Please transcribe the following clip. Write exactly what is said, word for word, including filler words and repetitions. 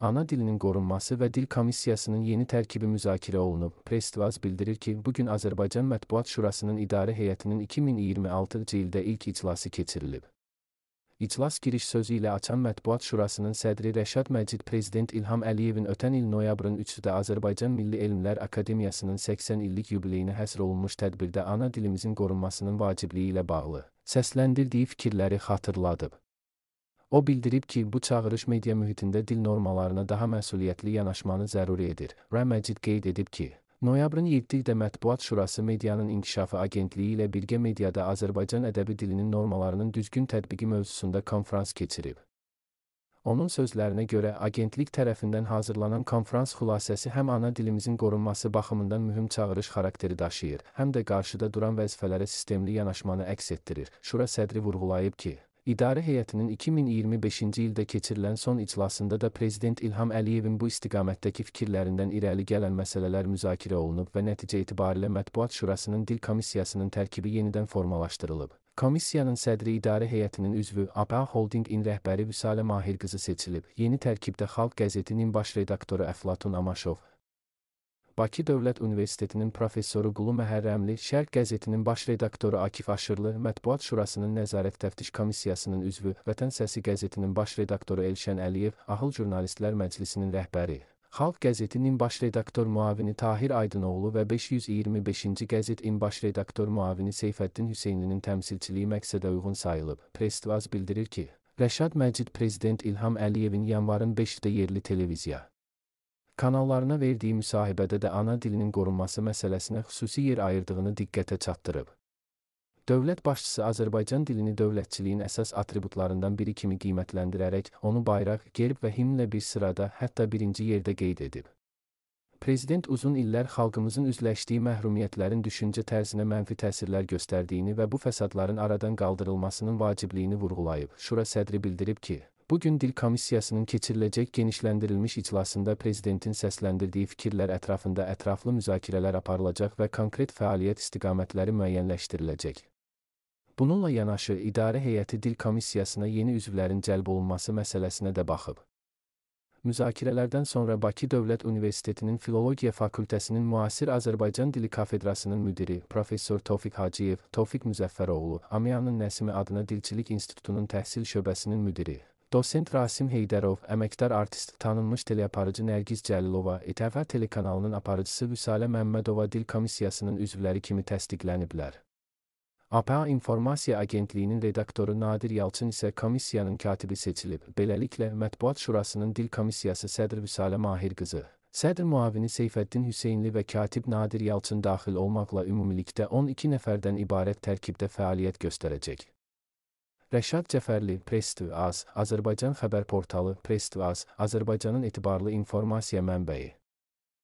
Ana dilinin qorunması və dil komissiyasının yeni tərkibi müzakirə olunub. Press-Tvaz bildirir ki, bugün Azərbaycan Mətbuat Şurasının İdarə Heyətinin iki min iyirmi altıncı ildə ilk iclası keçirilib. İclas giriş sözü ilə açan Mətbuat Şurasının sədri Rəşad Məcid Prezident İlham Əliyevin ötən il noyabrın üçündə Azərbaycan Milli Elmlər Akademiyasının səksən illik yubileyinə həsr olunmuş tədbirdə ana dilimizin qorunmasının vacibliyi ilə bağlı səsləndirdiyi fikirləri xatırladıb. O bildirib ki, bu çağırış media mühitində dil normalarına daha məsuliyyətli yanaşmanı zəruri edir. Məcid qeyd edib ki, noyabrın yeddisində Mətbuat Şurası Medianın İnkişafı Agentliyi ilə birgə mediada Azərbaycan ədəbi dilinin normalarının düzgün tətbiqi mövzusunda konfrans keçirib. Onun sözlərinə görə, agentlik tərəfindən hazırlanan konfrans xülasəsi həm ana dilimizin qorunması baxımından mühüm çağırış xarakteri daşıyır, həm də qarşıda duran vəzifələrə sistemli yanaşmanı əks etdirir. Şura sədri vurğulayıb ki, İdarə Heyətinin iki min iyirmi beşinci ildə keçirilən son iclasında da Prezident İlham Əliyevin bu istiqamətdəki fikirlərindən irəli gələn məsələlər müzakirə olunub və nəticə etibarilə Mətbuat Şurasının Dil Komissiyasının tərkibi yenidən formalaşdırılıb. Komissiyanın sədri İdarə Heyətinin üzvü A P A Holdingin rəhbəri Vüsalə Mahirqızı seçilib. Yeni tərkibdə Xalq qəzetinin baş redaktoru Əflatun Amaşov, Bakı Dövlət Universitetinin professoru Qulu Məhərrəmli, Şərq qəzetinin baş redaktoru Akif Aşırlı, Mətbuat Şurasının Nəzarət Təftiş Komissiyasının üzvü, Vətən Səsi qəzetinin baş redaktoru Elşən Əliyev, Ahıl Jurnalistlər Məclisinin rəhbəri, Xalq qəzetinin baş redaktor müavini Tahir Aydınoğlu və beş yüz iyirmi beşinci qəzetin baş redaktor müavini Seyfəddin Hüseynlinin təmsilçiliyi məqsədə uyğun sayılıb. Press-Tvaz bildirir ki, Rəşad Məcid Prezident İlham Əliyevin yanvarın beşində yerli televiziya kanallarına verdiyi müsahibədə də ana dilinin qorunması məsələsinə xüsusi yer ayırdığını diqqətə çatdırıb. Dövlət başçısı Azərbaycan dilini dövlətçiliyin əsas atributlarından biri kimi qiymətləndirərək, onu bayraq, gerb və himnlə bir sırada, hətta birinci yerdə qeyd edib. Prezident uzun illər xalqımızın üzləşdiyi məhrumiyyətlərin düşüncə tərzinə mənfi təsirlər göstərdiyini və bu fəsadların aradan qaldırılmasının vacibliyini vurğulayıb. Şura sədri bildirib ki, bugün Dil Komissiyasının keçiriləcək genişləndirilmiş iclasında Prezidentin səsləndirdiyi fikirlər ətrafında ətraflı müzakirələr aparılacaq və konkret fəaliyyət istiqamətləri müəyyənləşdiriləcək. Bununla yanaşı, İdarə Heyəti Dil Komissiyasına yeni üzvlərin cəlb olunması məsələsinə də baxıb. Müzakirələrdən sonra Bakı Dövlət Universitetinin Filologiya Fakültəsinin Müasir Azərbaycan Dili Kafedrasının müdiri, Professor Tofiq Hacıyev, Tofiq Müzəffəroğlu, Amiyanın Nəsimi adına Dilçilik İnstitutunun təhsil şöbəsinin müdiri, Dosent Rasim Heydərov, əməkdar artist, tanınmış teleaparıcı Nərgiz Cəlilova, İ T V telekanalının aparıcısı Vüsalə Məmmədova Dil Komissiyasının üzvləri kimi təsdiqləniblər. A P A İnformasiya Agentliyinin redaktoru Nadir Yalçın isə komissiyanın katibi seçilib. Beləliklə, Mətbuat Şurasının Dil Komissiyası sədr Vüsalə Mahirqızı, sədr müavini Seyfəddin Hüseynli və katib Nadir Yalçın daxil olmaqla ümumilikdə on iki nəfərdən ibarət tərkibdə fəaliyyət göstərəcək. Rəşad Cəfərli, Press-Tvaz, Azərbaycan xəbər portalı, Press-Tvaz, Azərbaycanın etibarlı informasiya mənbəyi.